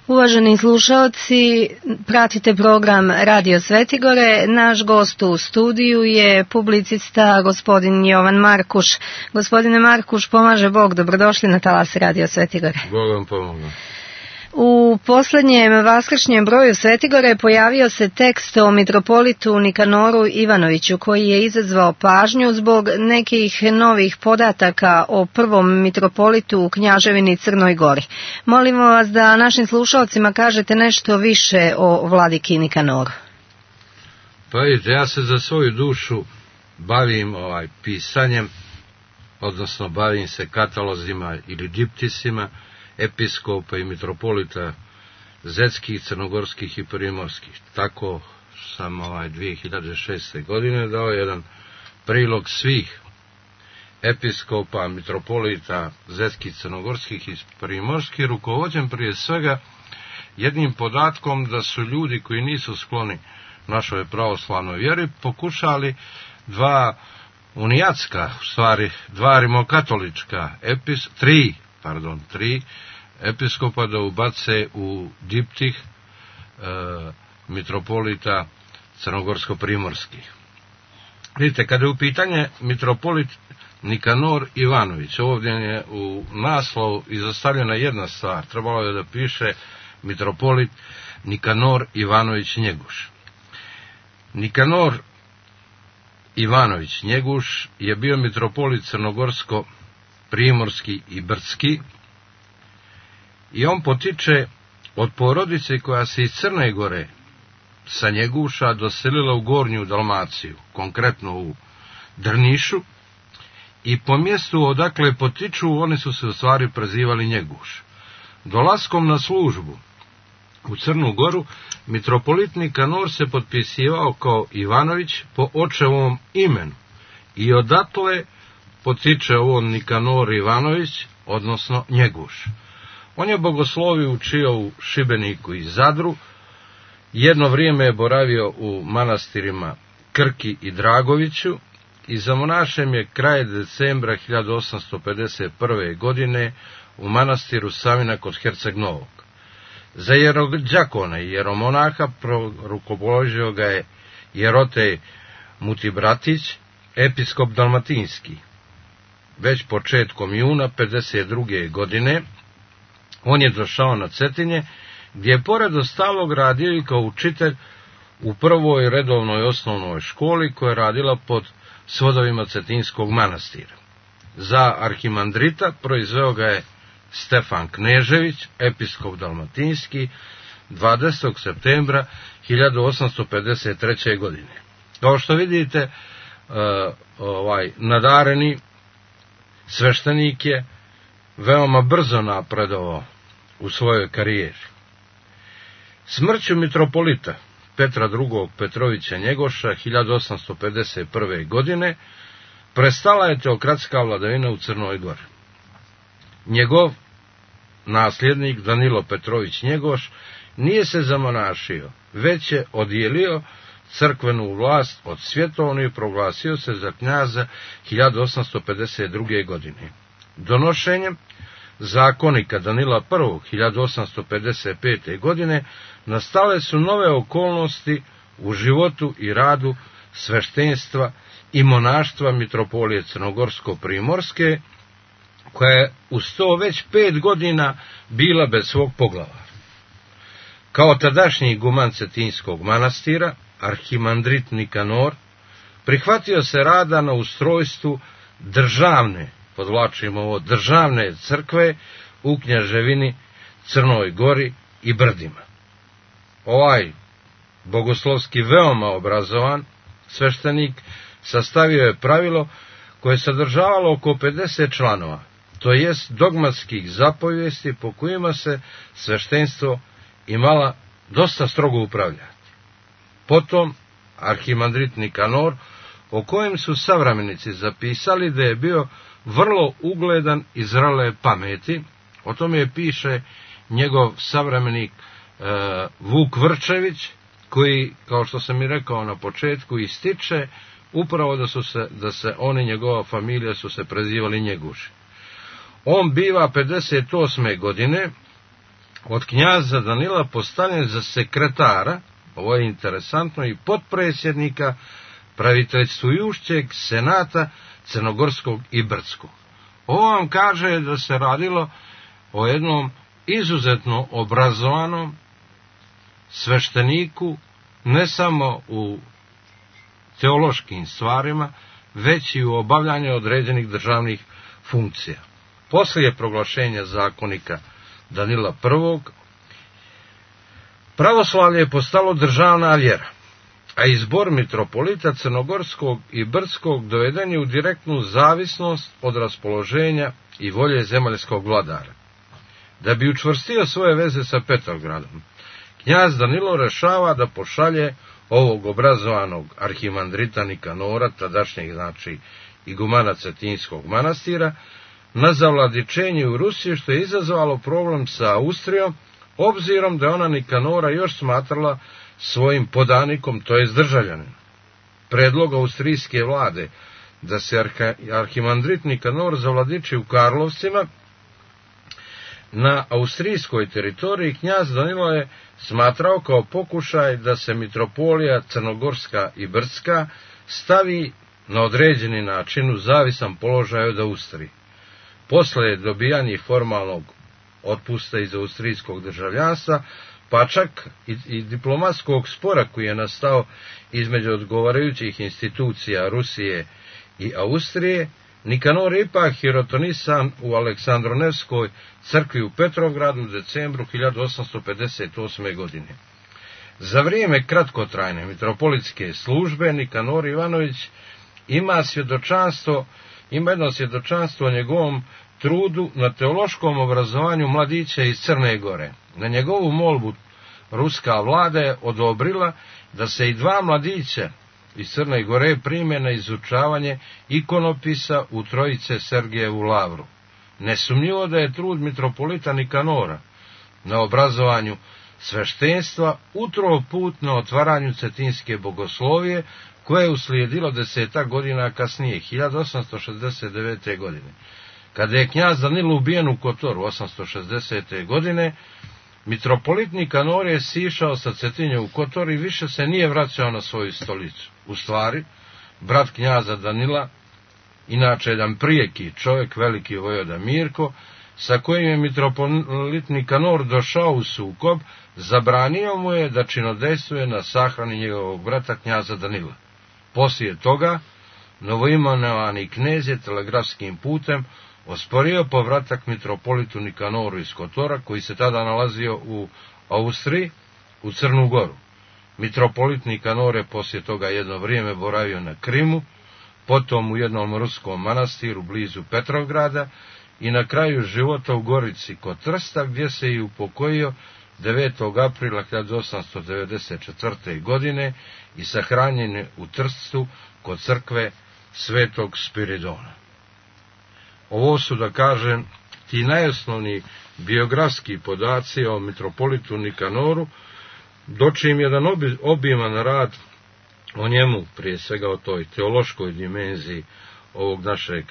Uvaženi slušalci, pratite program Radio Svetigore. Naš gost u studiju je publicista gospodin Jovan Markuš. Gospodine Markuš, pomaže Bog, dobrodošli na talas Radio Svetigore. Bog vam pomoga. U posljednjem vaskršnjem broju Svetigore pojavio se tekst o mitropolitu Nikanoru Ivanoviću koji je izazvao pažnju zbog nekih novih podataka o prvom mitropolitu u Knjaževini Crnoj Gori. Molimo vas da našim slušalcima kažete nešto više o vladiki Nikanoru. Pa vidite, ja se za svoju dušu bavim pisanjem, odnosno bavim se katalozima ili diptisima episkopa i mitropolita zetskih, crnogorskih i primorskih. Tako sam 2006. godine dao jedan prilog svih episkopa, mitropolita zetskih, crnogorskih i primorskih, rukovođen prije svega jednim podatkom da su ljudi koji nisu skloni našoj pravoslavnoj vjeri pokušali dva rimokatolička tri episkopa da ubace u diptih mitropolita crnogorsko-primorskih. Vidite, kada je u pitanje mitropolit Nikanor Ivanović, ovdje je u naslovu izostavljena jedna stvar, trebalo je da piše mitropolit Nikanor Ivanović Njeguš. Nikanor Ivanović Njeguš je bio mitropolit crnogorsko-primorski i brdski i on potiče od porodice koja se iz Crne Gore sa Njeguša doselila u Gornju Dalmaciju, konkretno u Drnišu, i po mjestu odakle potiču oni su se u stvari prezivali Njeguš. Dolaskom na službu u Crnu Goru mitropolit Nikanor se potpisivao kao Ivanović po očevom imenu i odatle potiče on Nikanor Ivanović, odnosno Njeguš. On je bogosloviju učio u Šibeniku i Zadru, jedno vrijeme je boravio u manastirima Krki i Dragoviću i za monašem je kraj decembra 1851. godine u manastiru Savina kod Herceg Novog. Za jerođakona i jeromonaha rukopoložio ga je Jerotej Mutibratić, episkop dalmatinski. Već početkom juna 52. godine on je došao na Cetinje, gdje je pored ostalog radio i kao učitelj u prvoj redovnoj osnovnoj školi koja je radila pod svodovima Cetinskog manastira. Za arhimandrita proizveo ga je Stefan Knežević, episkop dalmatinski, 20. septembra 1853. godine. Kao što vidite, nadareni sveštenik je veoma brzo napredovao u svojoj karijeri. Smrću mitropolita Petra II. Petrovića Njegoša 1851. godine prestala je teokratska vladavina u Crnoj Gori. Njegov nasljednik Danilo Petrović Njegoš nije se zamonašio, već je odjelio crkvenu vlast od svjetovnu i proglasio se za knjaza 1852. godine. Donošenjem zakonika Danila I. 1855. godine nastale su nove okolnosti u životu i radu sveštenstva i monaštva mitropolije Crnogorsko-primorske, koja je uz to već 5 godina bila bez svog poglavara. Kao tadašnji iguman Cetinskog manastira, arhimandrit Nikanor prihvatio se rada na ustrojstvu državne, podvlačimo ovo, državne crkve u Knjaževini Crnoj Gori i Brdima. Ovaj bogoslovski veoma obrazovan sveštenik sastavio je pravilo koje je sadržavalo oko 50 članova, to jest dogmatskih zapovijesti po kojima se sveštenstvo imala dosta strogo upravljati. Potom arhimandrit Nikanor, o kojem su savremenici zapisali da je bio vrlo ugledan i zrele pameti, o tome piše njegov savremenik Vuk Vrčević, koji, kao što sam i rekao na početku, ističe upravo da se on i njegova familija su se prezivali Njeguši. On biva 58. godine od knjaza Danila postavljen za sekretara, ovo je interesantno, i potpredsjednika praviteljstvujućeg senata Crnogorskog i Brdskog. Ovo vam kaže da se radilo o jednom izuzetno obrazovanom svešteniku, ne samo u teološkim stvarima, već i u obavljanju određenih državnih funkcija. Poslije proglašenja zakonika Danila I, pravoslavlje je postalo državna vjera, a izbor mitropolita Crnogorskog i Brdskog doveden je u direktnu zavisnost od raspoloženja i volje zemaljskog vladara. Da bi učvrstio svoje veze sa Petrogradom, knjaz Danilo rešava da pošalje ovog obrazovanog arhimandrita Nikanora, tadašnjeg znači igumana Cetinskog manastira, na zavladičenje u Rusiji, što je izazvalo problem sa Austrijom, obzirom da ona Nikanora još smatrala svojim podanikom, to jest državljaninom. Predlog austrijske vlade da se arhimandrit Nikanor zavladiči u Karlovcima na austrijskoj teritoriji, knjaz Danilo je smatrao kao pokušaj da se mitropolija Crnogorska i Brdska stavi na određeni način u zavisan položaj od Austrije. Posle dobijanja formalnog otpusta iz austrijskog državljanstva, pa čak i diplomatskog spora koji je nastao između odgovarajućih institucija Rusije i Austrije, Nikanor je ipak hirotonisan u Aleksandronevskoj crkvi u Petrovgradu u decembru 1858. godine. Za vrijeme kratkotrajne mitropolitske službe Nikanor Ivanović ima jedno svjedočanstvo o njegovom trudu na teološkom obrazovanju mladića iz Crne Gore. Na njegovu molbu ruska vlada je odobrila da se i 2 mladića iz Crne Gore prime na izučavanje ikonopisa u Trojice Sergejevu lavru. Nesumnjivo da je trud mitropolita Nikanora na obrazovanju sveštenstva utro put na otvaranju cetinske bogoslovije, koje je uslijedilo 10 godina kasnije, 1869. godine. Kada je knjaz Danilo ubijen u Kotoru 860. godine, mitropolit Nikanor je sišao sa Cetinje u Kotor i više se nije vraćao na svoju stolicu. U stvari, brat knjaza Danila, inače jedan prijeki čovjek, veliki vojvoda Mirko, sa kojim je mitropolit Nikanor došao u sukob, zabranio mu je da činodejstvuje na sahrani njegovog brata knjaza Danila. Poslije toga, novoimenovani knez je telegrafskim putem osporio povratak mitropolitu Nikanoru iz Kotora, koji se tada nalazio u Austriji, u Crnu Goru. Mitropolit Nikanor je poslije toga jedno vrijeme boravio na Krimu, potom u jednom ruskom manastiru blizu Petrovgrada i na kraju života u Gorici kod Trsta, gdje se i upokojio 9. aprila 1894. godine i sahranjen je u Trstu kod crkve Svetog Spiridona. Ovo su, da kažem, ti najosnovniji biografski podaci o mitropolitu Nikanoru, dočim jedan obiman rad o njemu, prije svega o toj teološkoj dimenziji ovog našeg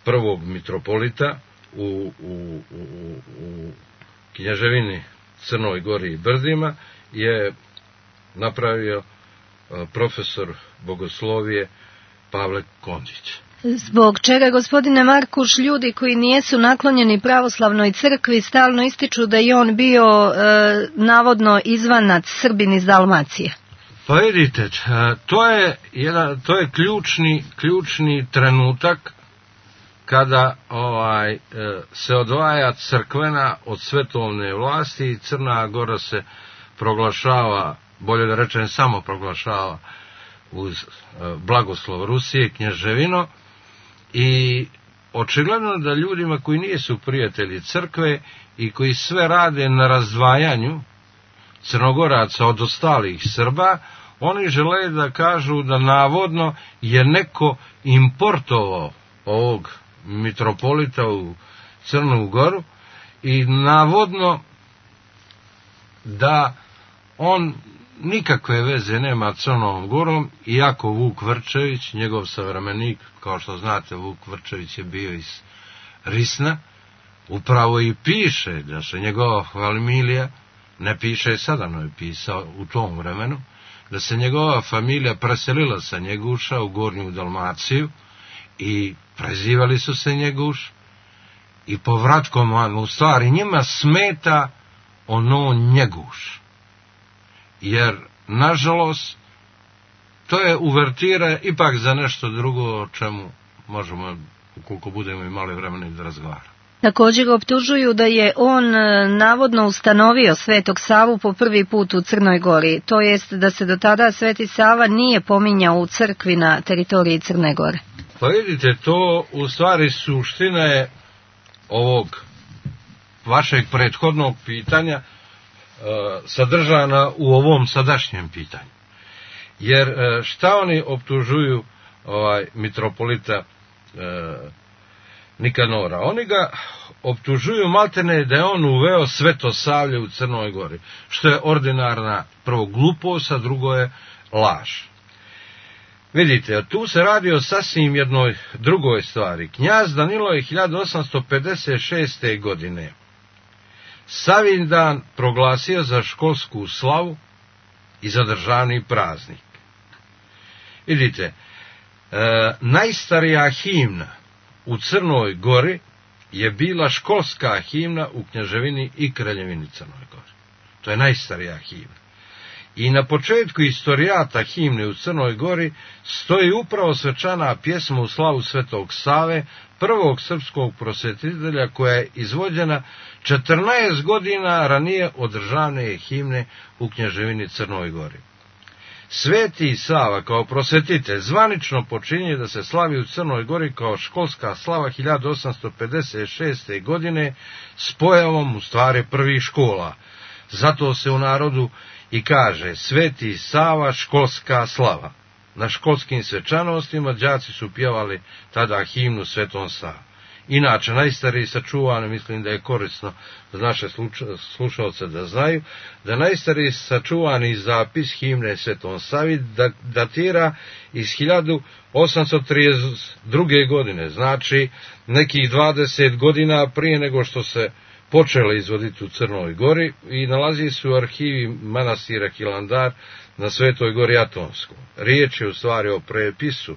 prvog mitropolita u Knjaževini Crnoj Gori i Brdima, je napravio profesor bogoslovije Pavle Kondžić. Zbog čega, gospodine Markuš, ljudi koji nijesu naklonjeni pravoslavnoj crkvi stalno ističu da je on bio navodno izvanac, Srbin iz Dalmacije? Pa vidite, to je ključni trenutak kada se odvaja crkvena od svetovne vlasti i Crna Gora se proglašava, bolje da rečem samo proglašava uz blagoslov Rusije, knježevino, i očigledno da ljudima koji nisu prijatelji crkve i koji sve rade na razdvajanju Crnogoraca od ostalih Srba, oni žele da kažu da navodno je neko importovao ovog mitropolita u Crnu Goru i navodno da on nikakve veze nema s Crnom Gorom, iako Vuk Vrčević, njegov savremenik, kao što znate, Vuk Vrčević je bio iz Risna, upravo i piše da se njegova familija, ne piše sada, no je pisao u tom vremenu, da se njegova familija preselila sa Njeguša u Gornju Dalmaciju i prezivali su se Njeguš i povratkom u stvari njima smeta ono Njeguš. Jer, nažalost, to je uvertira ipak za nešto drugo o čemu možemo, ukoliko budemo imali vremena, da razgovaramo. Također ga optužuju da je on navodno ustanovio Svetog Savu po prvi put u Crnoj Gori, to jest da se do tada Sveti Sava nije pominjao u crkvi na teritoriji Crne Gore. Pa vidite, to u stvari suština je ovog vašeg prethodnog pitanja sadržana u ovom sadašnjem pitanju. Jer šta oni optužuju mitropolita Nikanora? Oni ga optužuju maltene da je on uveo Svetosavlje u Crnoj Gori, što je ordinarna prvo glupost, a drugo je laž. Vidite, tu se radi o sasvim jednoj drugoj stvari. Knjaz Danilo je 1856. godine Savindan proglasio za školsku slavu i za državni praznik. Vidite, najstarija himna u Crnoj Gori je bila školska himna u Kneževini i Kraljevini Crnoj Gori. To je najstarija himna. I na početku istorijata himne u Crnoj Gori stoji upravo svečana pjesma u slavu Svetog Save, prvog srpskog prosvetitelja, koja je izvođena 14 godina ranije od državne himne u Kneževini Crnoj Gori. Sveti Sava kao prosvetitelj zvanično počinje da se slavi u Crnoj Gori kao školska slava 1856. godine s pojavom u stvari prvih škola. Zato se u narodu i kaže Sveti Sava školska slava. Na školskim svečanostima đaci su pjevali tada himnu Svetom Savi. Inače, najstariji sačuvani, mislim da je korisno za naše slušalce da znaju, da najstariji sačuvani zapis himne Svetom Savi datira iz 1832. godine, znači nekih 20 godina prije nego što se počele izvoditi u Crnoj Gori, i nalazi se u arhivi manastira Hilandar na Svetoj Gori Atonskoj. Riječ je u stvari o prepisu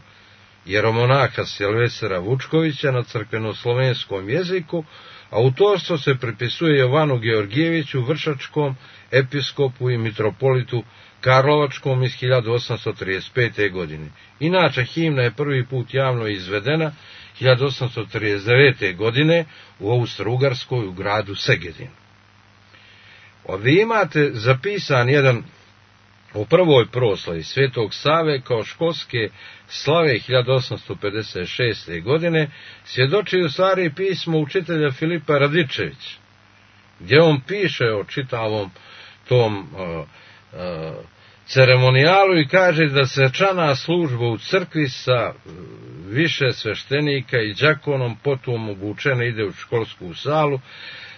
jeromonaha Silvestra Vučkovića na crkveno-slovenskom jeziku, a autorstvo se pripisuje Jovanu Georgijeviću, vršačkom episkopu i mitropolitu Karlovačkom iz 1835. godine. Inače, himna je prvi put javno izvedena 1839. godine u Austro-Ugarskoj u gradu Segedin. Ovdje imate zapisan jedan o prvoj proslavi Svetog Save kao školske slave 1856. godine, svjedoči u stvari pismo učitelja Filipa Radičevića, gdje on piše o čitavom tom ceremonijalu i kaže da svečana služba u crkvi sa više sveštenika i đakonom potom obučena ide u školsku salu,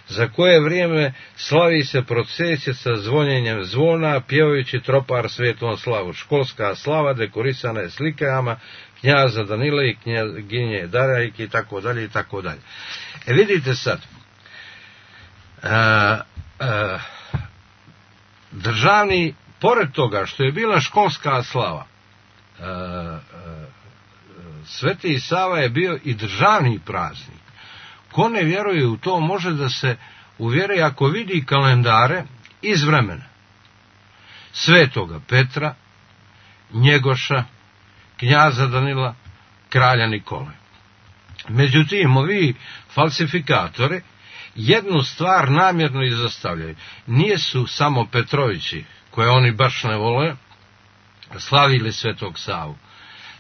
za koje vrijeme slavi se procesija sa zvonjenjem zvona, pjevajući tropar Svetom Slavu. Školska slava dekorisana je slikama knjaza Danila i knjaginje Darajke i tako dalje i tako dalje. Vidite sad, državni, pored toga što je bila školska slava, Sveti Sava je bio i državni praznik. Ko ne vjeruje u to, može da se uvjeri ako vidi kalendare iz vremena Svetoga Petra, Njegoša, knjaza Danila, kralja Nikole. Međutim, ovi falsifikatori jednu stvar namjerno izostavljaju. Nije su samo Petrovići, koje oni baš ne vole, slavili Svetog Savu.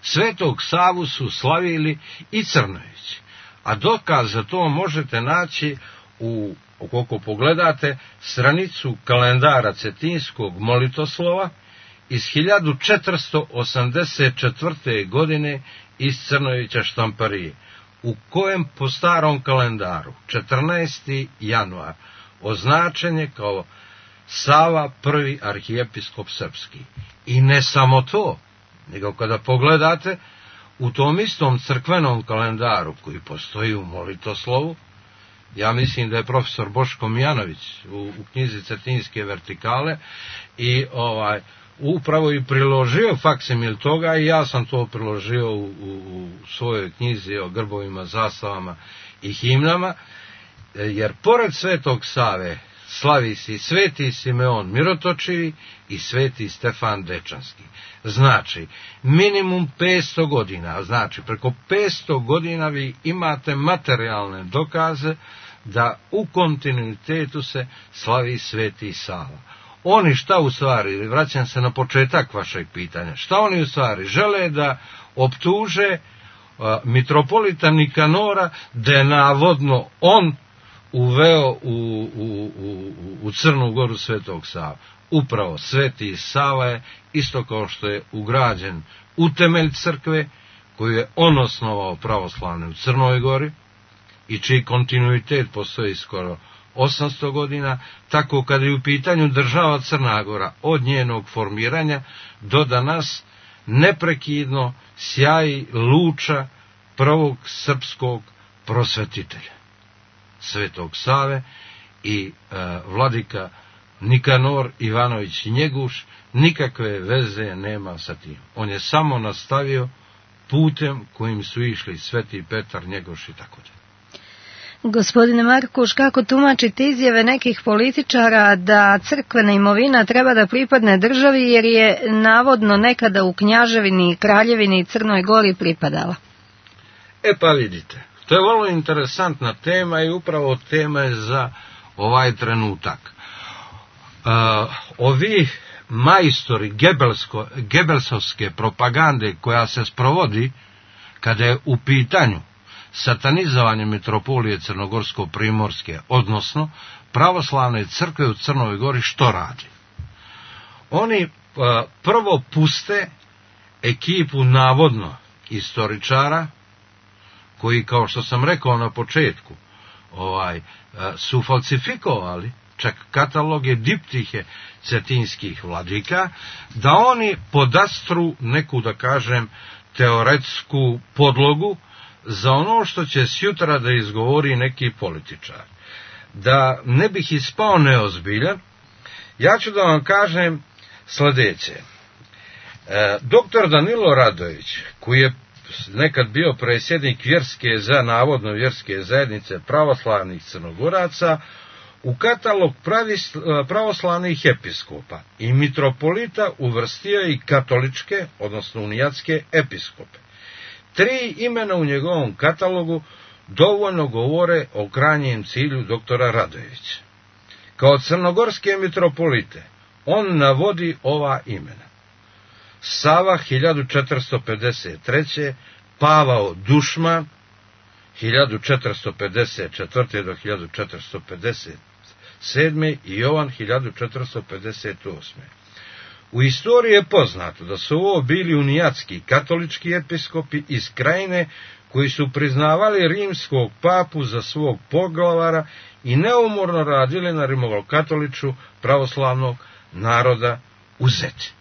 Svetog Savu su slavili i Crnovići. A dokaz za to možete naći ukoliko pogledate stranicu kalendara Cetinskog molitoslova iz 1484. godine iz Crnovića štamparije, u kojem po starom kalendaru 14. januar označen je kao Sava prvi arhijepiskop srpski. I ne samo to, nego kada pogledate u tom istom crkvenom kalendaru koji postoji u molitoslovu, ja mislim da je profesor Boško Mijanović u knjizi Cetinske vertikale i upravo i priložio faksimil toga i ja sam to priložio u svojoj knjizi o grbovima, zastavama i himnama, jer pored Svetog Save slavi se i Sveti Simeon Mirotočivi i Sveti Stefan Dečanski. Znači, minimum 500 godina, znači preko 500 godina vi imate materijalne dokaze da u kontinuitetu se slavi Sveti Sava. Oni šta u stvari, vraćam se na početak vašeg pitanja, šta oni u stvari žele da optuže mitropolita Nikanora da je navodno on uveo u Crnu Goru Svetog Sava. Upravo Sveti Sava je, isto kao što je ugrađen u temelj crkve, koju je on osnovao pravoslavne u Crnoj Gori i čiji kontinuitet postoji skoro 800 godina, tako kada je u pitanju država Crna Gora od njenog formiranja do danas neprekidno sjaji luča prvog srpskog prosvetitelja, Svetog Save, i vladika Nikanor Ivanović Njeguš nikakve veze nema sa tim. On je samo nastavio putem kojim su išli Sveti Petar, Njegoš i tako dalje. Gospodine Markuš, kako tumačite izjave nekih političara da crkvena imovina treba da pripadne državi jer je navodno nekada u Knjaževini, Kraljevini i Crnoj Gori pripadala? Pa vidite, to je vrlo interesantna tema i upravo tema je za ovaj trenutak. Ovi majstori Gebelsovske propagande koja se sprovodi kada je u pitanju satanizovanje mitropolije Crnogorsko-Primorske, odnosno pravoslavne crkve u Crnoj Gori, što radi? Oni prvo puste ekipu navodno istoričara, koji, kao što sam rekao na početku, su falsifikovali čak kataloge diptihe cetinskih vladika, da oni podastru neku, da kažem, teoretsku podlogu za ono što će sjutra da izgovori neki političar. Da ne bih ispao neozbiljan, ja ću da vam kažem sljedeće. Doktor Danilo Radović, koji je nekad bio predsjednik navodno vjerske zajednice pravoslavnih Crnogoraca, u katalog pravoslavnih episkopa i mitropolita uvrstio i katoličke, odnosno unijatske episkope. 3 imena u njegovom katalogu dovoljno govore o krajnjem cilju doktora Radovića. Kao crnogorske mitropolite on navodi ova imena: Sava 1453, Pavao Dušman 1454. do 1457. i Jovan 1458. U istoriji je poznato da su ovo bili unijatski katolički episkopi iz Krajine koji su priznavali rimskog papu za svog poglavara i neumorno radili na rimokatoličku pravoslavnog naroda u Zeti.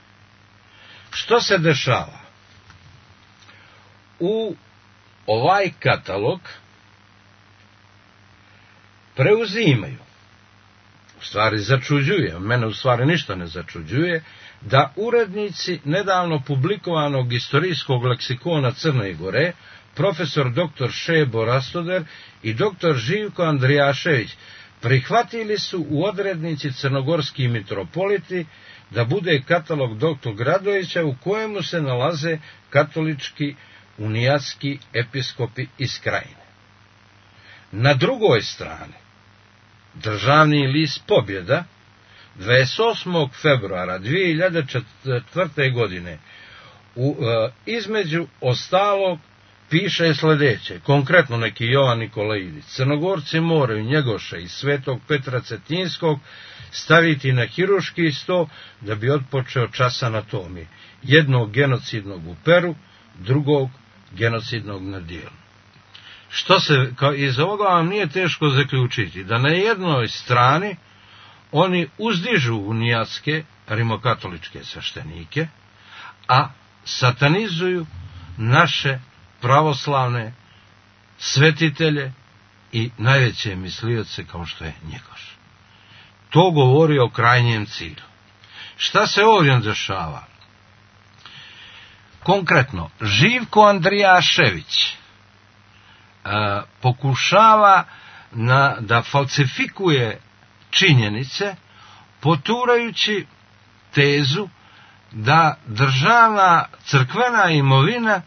Što se dešava? U ovaj katalog preuzimaju, u stvari začuđuje, mene u stvari ništa ne začuđuje, da urednici nedavno publikovanog istorijskog leksikona Crne Gore, profesor dr. Šebo Rastoder i dr. Živko Andrijašević, prihvatili su u odrednici crnogorski mitropoliti da bude katalog dr. Radovića u kojemu se nalaze katolički unijatski episkopi iz Krajine. Na drugoj strani, državni list Pobjeda 28. februara 2004. godine između ostalog piše sljedeće, konkretno neki Jovan Nikolaidić: Crnogorci moraju Njegoša i Svetog Petra Cetinskog staviti na hiruški sto da bi otpočeo čas anatomije, jednog genocidnog u Peru, drugog genocidnog na dijelu. Iz ovoga vam nije teško zaključiti da na jednoj strani oni uzdižu unijatske rimokatoličke sveštenike, a satanizuju naše pravoslavne svetitelje i najveće mislioce kao što je Njegoš. To govori o krajnjem cilju. Šta se ovdje dešava? Konkretno, Živko Andrijašević pokušava da falsifikuje činjenice, poturajući tezu da državna crkvena imovina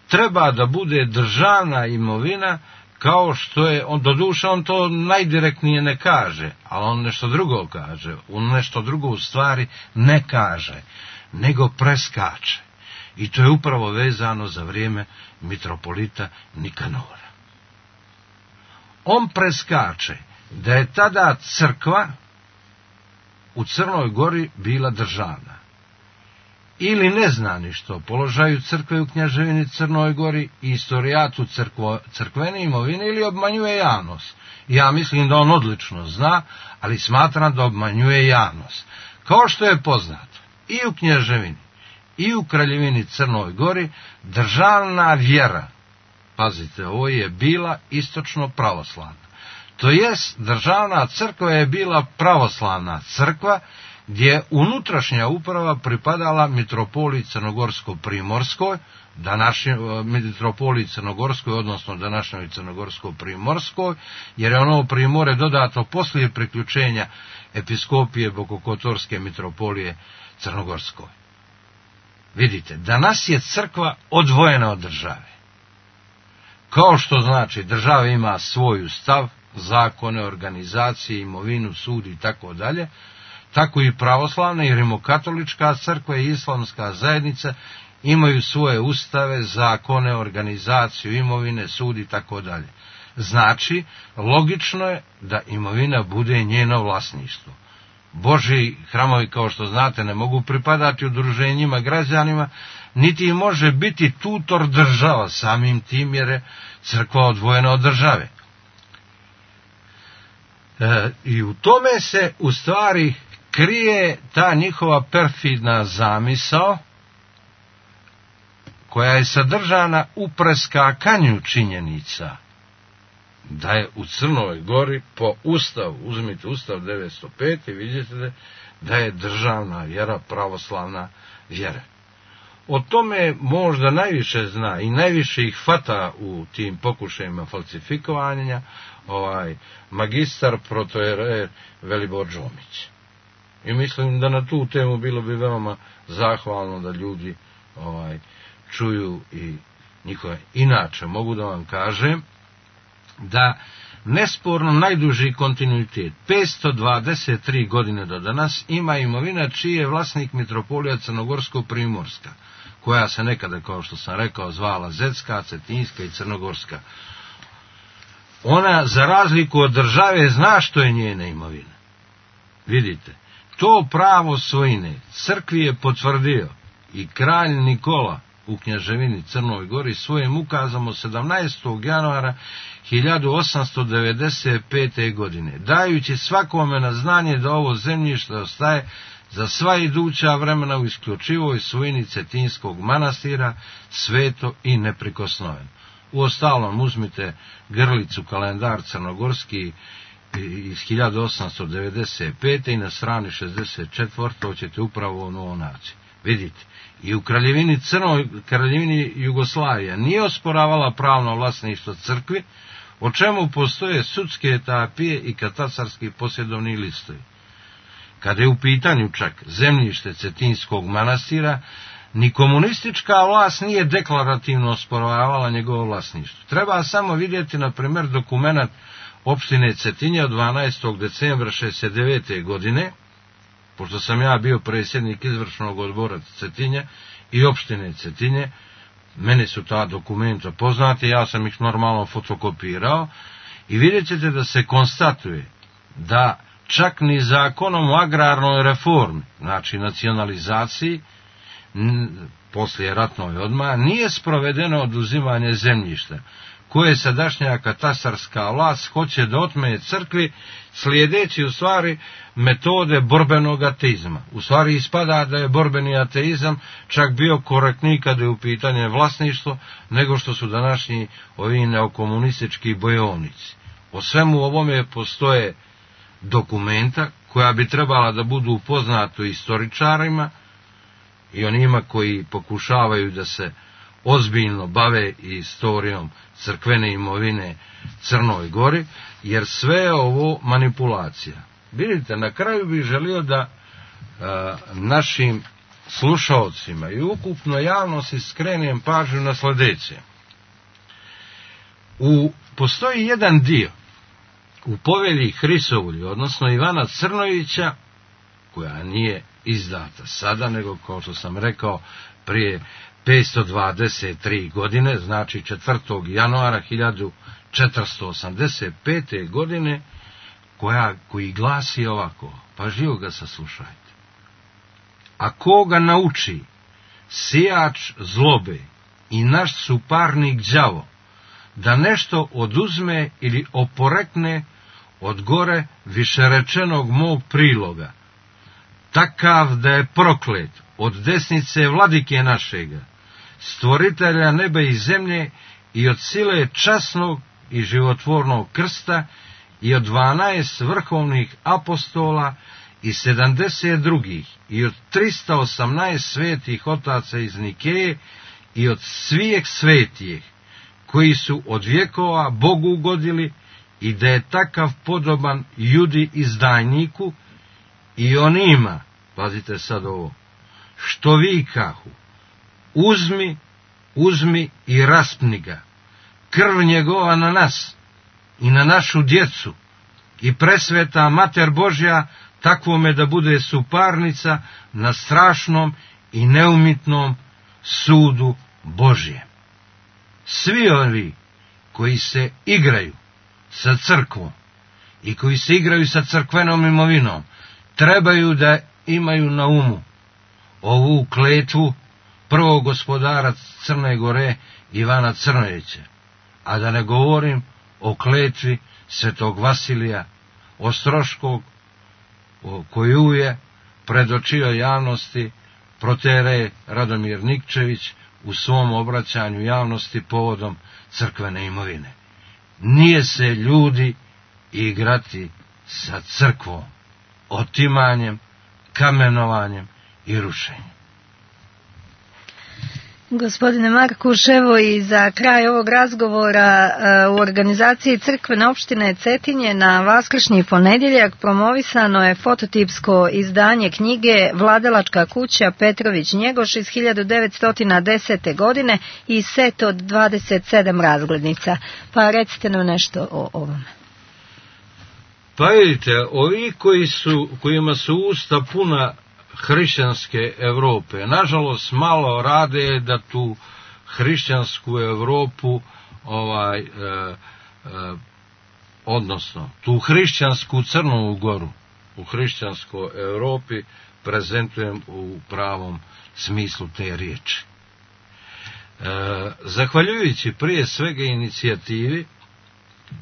treba da bude državna imovina, kao što je, doduše on to najdirektnije ne kaže, ali on nešto drugo kaže, on nešto drugo u stvari ne kaže, nego preskače. I to je upravo vezano za vrijeme mitropolita Nikanora. On preskače da je tada crkva u Crnoj Gori bila državna. Ili ne zna ništa o položaju crkve u Kneževini Crnoj Gori i istorijatu crkvene imovine, ili obmanjuje javnost. Ja mislim da on odlično zna, ali smatram da obmanjuje javnost. Kao što je poznato, i u Kneževini i u Kraljevini Crnoj Gori državna vjera, pazite, ovo je bila istočno pravoslavna. To jest, državna crkva je bila pravoslavna crkva, gdje unutrašnja uprava pripadala mitropoliji Crnogorsko-Primorskoj, mitropoliji Crnogorskoj, odnosno današnjoj Crnogorsko-Primorskoj, jer je ono Primorje dodato poslije priključenja episkopije Bokokotorske mitropolije Crnogorskoj. Vidite, danas je crkva odvojena od države. Kao što znači, država ima svoj stav, zakone, organizacije, imovinu, sud i tako dalje, tako i pravoslavna i rimokatolička crkva i islamska zajednica imaju svoje ustave, zakone, organizaciju, imovine, sud i tako dalje. Znači, logično je da imovina bude njeno vlasništvo. Božji hramovi, kao što znate, ne mogu pripadati udruženjima građanima, niti može biti tutor država, samim tim jer je crkva odvojena od države. I u tome se u stvari krije ta njihova perfidna zamisao, koja je sadržana u preskakanju činjenica, da je u Crnoj Gori po Ustavu, uzmite Ustav 905 i vidite da je državna vjera pravoslavna vjera. O tome možda najviše zna i najviše ih fata u tim pokušajima falsifikovanja magistar protojerer Velibor Džomić. I mislim da na tu temu bilo bi veoma zahvalno da ljudi čuju i njihove. Inače, mogu da vam kažem da nesporno najduži kontinuitet, 523 godine do danas, ima imovina čiji je vlasnik mitropolija Crnogorsko-Primorska, koja se nekada, kao što sam rekao, zvala Zetska, Cetinjska i Crnogorska. Ona, za razliku od države, zna što je njena imovina. Vidite, to pravo svojine crkvi je potvrdio i kralj Nikola u Kneževini Crnoj Gori svojim ukazom od 17. januara 1895. godine, dajući svakome na znanje da ovo zemljište ostaje za sva iduća vremena u isključivoj svojini Cetinskog manastira, sveto i neprikosnoveno. Uostalom, uzmite grlicu kalendar crnogorski iz 1895. i na strani 64. ćete upravo ono naći. Vidite, i u Kraljevini Jugoslavija nije osporavala pravno vlasništvo crkvi, o čemu postoje sudske etapije i katastarski posjedovni listovi. Kada je u pitanju čak zemljište Cetinskog manastira, ni komunistička vlast nije deklarativno osporavala njegovo vlasništvo. Treba samo vidjeti, na primjer, dokumenat opštine Cetinje od 12. decembra 1969. godine, pošto sam ja bio predsjednik izvršnog odbora Cetinje i opštine Cetinje, meni su ta dokumenta poznati, ja sam ih normalno fotokopirao i vidjet ćete da se konstatuje da čak ni zakonom o agrarnoj reformi, znači nacionalizaciji, poslije ratnoj odmah, nije sprovedeno oduzimanje zemljišta, koje sadašnja katastarska vlast hoće da otme crkvi, slijedeći u stvari metode borbenog ateizma. U stvari ispada da je borbeni ateizam čak bio korektniji kada je u pitanje vlasništvo, nego što su današnji ovi neokomunistički bojovnici. O svemu ovome postoje dokumenta koja bi trebala da budu poznato istoričarima i onima koji pokušavaju da se ozbiljno bave istorijom crkvene imovine Crnoj Gori, jer sve je ovo manipulacija. Vidite, na kraju bih želio da našim slušaocima i ukupno javnosti skrenem pažnju na sljedeće. Postoji jedan dio u povelji Hrisovlju, odnosno Ivana Crnovića, koja nije izdata sada, nego, kao što sam rekao, prije 523 godine, znači 4. januara 1485. godine, koji glasi ovako, pažljivo ga saslušajte. A koga nauči sijač zlobe i naš suparnik đavo da nešto oduzme ili oporekne od gore višerečenog mog priloga, takav da je proklet od desnice vladike našega, stvoritelja neba i zemlje i od sile časnog i životvornog krsta i od 12 vrhovnih apostola i 70 drugih i od 318 svetih otaca iz Nikeje i od svijeg svetijih koji su od vjekova Bogu ugodili i da je takav podoban judi izdajniku i onima, pazite sad ovo, što vikahu, uzmi i raspni ga, krv njegova na nas i na našu djecu i presveta Mater Božja takvome da bude suparnica na strašnom i neumitnom sudu Božjem. Svi ovi koji se igraju sa crkvom i koji se igraju sa crkvenom imovinom trebaju da imaju na umu ovu kletvu prvog gospodara Crne Gore Ivana Crnovića, a da ne govorim o kletvi svetog Vasilija Ostroškog, koju je predočio javnosti proterej Radomir Nikčević u svom obraćanju javnosti povodom crkvene imovine. Nije se ljudi igrati sa crkvom, otimanjem, kamenovanjem i rušenjem. Gospodine Markuš, evo i za kraj ovog razgovora u organizaciji Crkvene opštine Cetinje na vaskršnji ponedjeljak promovisano je fototipsko izdanje knjige Vladalačka kuća Petrović Njegoš iz 1910. godine i set od 27 razglednica. Pa recite nam nešto o ovome. Pa vidite, ovi kojima su usta puna hrišćanske Europe, nažalost malo rade da tu hrišćansku Europu odnosno tu hrišćansku Crnu Goru u hrišćanskoj Europi prezentujem u pravom smislu te riječi. Zahvaljujući prije svega inicijativi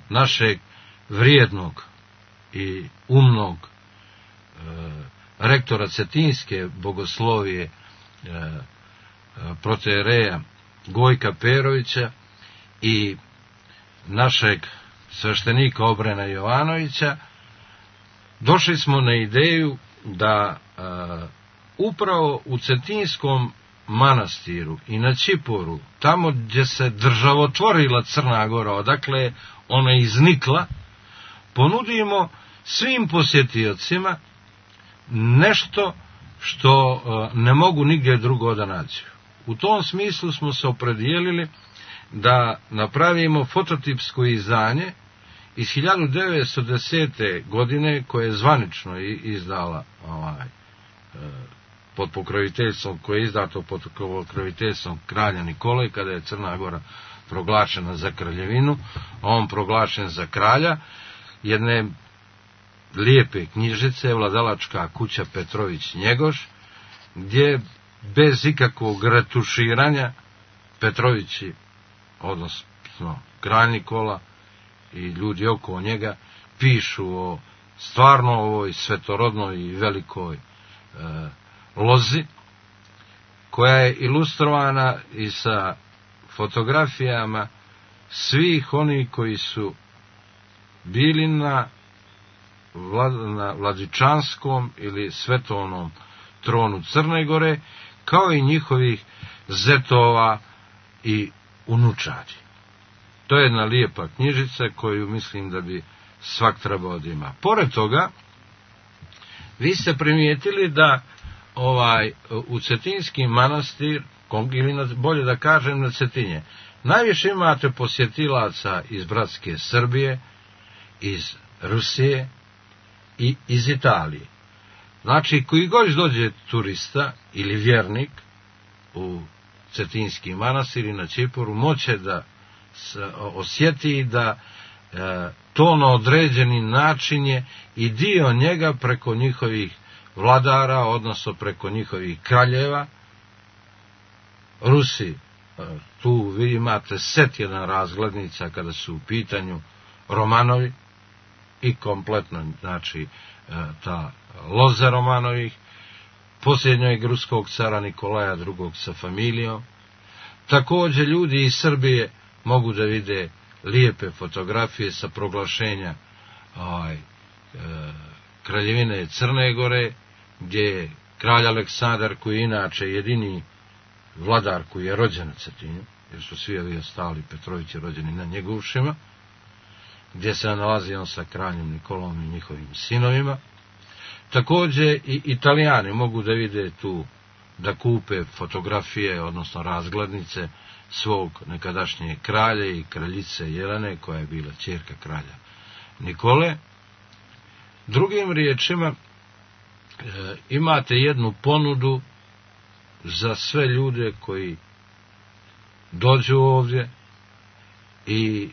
našeg vrijednog i umnog rektora Cetinske bogoslovije protereja Gojka Perovića i našeg sveštenika Obrena Jovanovića, došli smo na ideju da upravo u Cetinskom manastiru i na Čiporu, tamo gdje se državotvorila Crna Gora, odakle ona iznikla, ponudimo svim posjetiocima nešto što ne mogu nigdje drugo da nađu. U tom smislu smo se opredijelili da napravimo fototipsko izdanje iz 1910. godine koje je zvanično izdala pod pokroviteljstvom, koje je izdato pod pokroviteljstvom kralja Nikole, kada je Crna Gora proglašena za kraljevinu, a on proglašen za kralja jedne lijepe knjižice Vladalačka kuća Petrović Njegoš, gdje bez ikakvog retuširanja Petrovići, odnosno kralj Nikola i ljudi oko njega, pišu o stvarno ovoj svetorodnoj i velikoj lozi, koja je ilustrovana i sa fotografijama svih onih koji su bili na vladičanskom ili svetovnom tronu Crne Gore, kao i njihovih zetova i unučadi. To je jedna lijepa knjižica koju mislim da bi svak trebao da ima. Pored toga, vi ste primijetili da u Cetinski manastir, ili bolje da kažem na Cetinje, najviše imate posjetilaca iz bratske Srbije, iz Rusije i iz Italije. Znači, koji god dođe turista ili vjernik u Cetinski manastir i na Ćiporu, moće da osjeti da to na određeni način je i dio njega preko njihovih vladara, odnosno preko njihovih kraljeva. Rusi, tu vi imate set jedan razglednica kada su u pitanju Romanovi i kompletno, znači, ta loza Romanovih, posljednjeg ruskog cara Nikolaja II. Sa familijom. Također ljudi iz Srbije mogu da vide lijepe fotografije sa proglašenja Kraljevine Crne Gore, gdje je kralj Aleksandar, koji je inače jedini vladar koji je rođen na Cetinju, jer su svi ovi ostali Petrovići rođeni na njegovšima, gdje se nalazi on sa kraljem Nikolom i njihovim sinovima. Također i Italijani mogu da vide tu, da kupe fotografije, odnosno razglednice svog nekadašnjeg kralja i kraljice Jelene, koja je bila ćerka kralja Nikole. Drugim riječima, imate jednu ponudu za sve ljude koji dođu ovdje i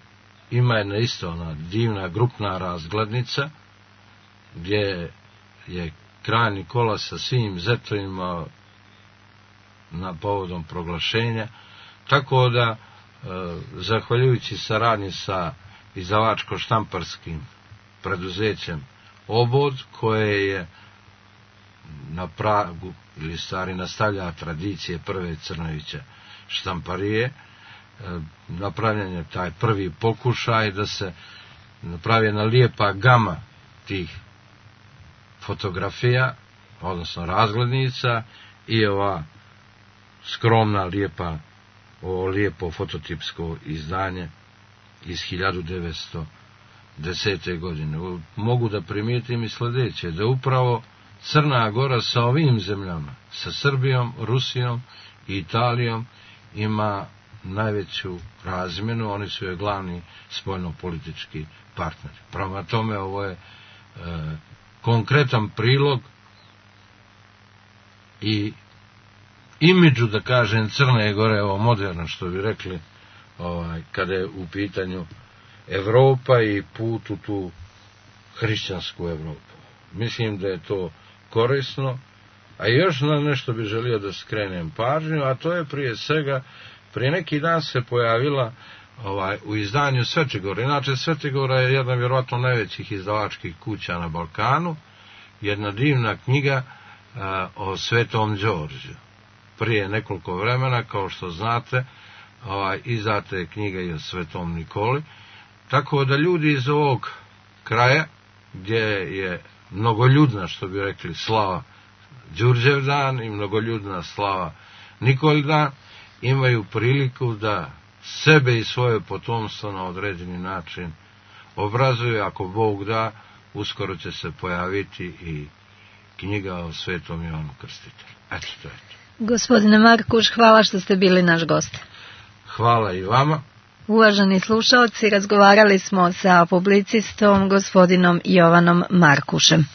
ima jedna isto ona divna grupna razglednica gdje je kralj Nikola sa svim zetovima na povodom proglašenja, tako da zahvaljujući saradnji sa izdavačko-štamparskim preduzećem Obod, koje je na pragu ili stari nastavlja tradicije prve Crnovića štamparije, napravljen je taj prvi pokušaj da se napravi jedna lijepa gama tih fotografija, odnosno razglednica, i ova skromna lijepo fototipsko izdanje iz 1910. godine. Mogu da primijetim i sljedeće, da upravo Crna Gora sa ovim zemljama, sa Srbijom, Rusijom i Italijom, ima najveću razmjenu, oni su joj glavni spoljnopolitički partneri. Prema tome, ovo je konkretan prilog i imidžu, da kažem, Crne Gore, ovo moderno, što bi rekli, kada je u pitanju Evropa i put u tu hrišćansku Evropu. Mislim da je to korisno, a još na nešto bi želio da skrenem pažnju, a to je prije svega, prije neki dan se pojavila u izdanju Svetogora. Inače, Svetogora je jedna vjerojatno najvećih izdavačkih kuća na Balkanu, jedna divna knjiga o Svetom Đorđu. Prije nekoliko vremena, kao što znate, izdata je knjiga i o Svetom Nikoli, tako da ljudi iz ovog kraja, gdje je mnogoljudna, što bi rekli, slava Đurđevdan i mnogoljudna slava Nikoldan, imaju priliku da sebe i svoje potomstvo na određeni način obrazuju. Ako Bog da, uskoro će se pojaviti i knjiga o Svetom Jovanu Krstitelju. Eto, to je to. Gospodine Markuš, hvala što ste bili naš gost. Hvala i vama. Uvaženi slušaoci, razgovarali smo sa publicistom gospodinom Jovanom Markušem.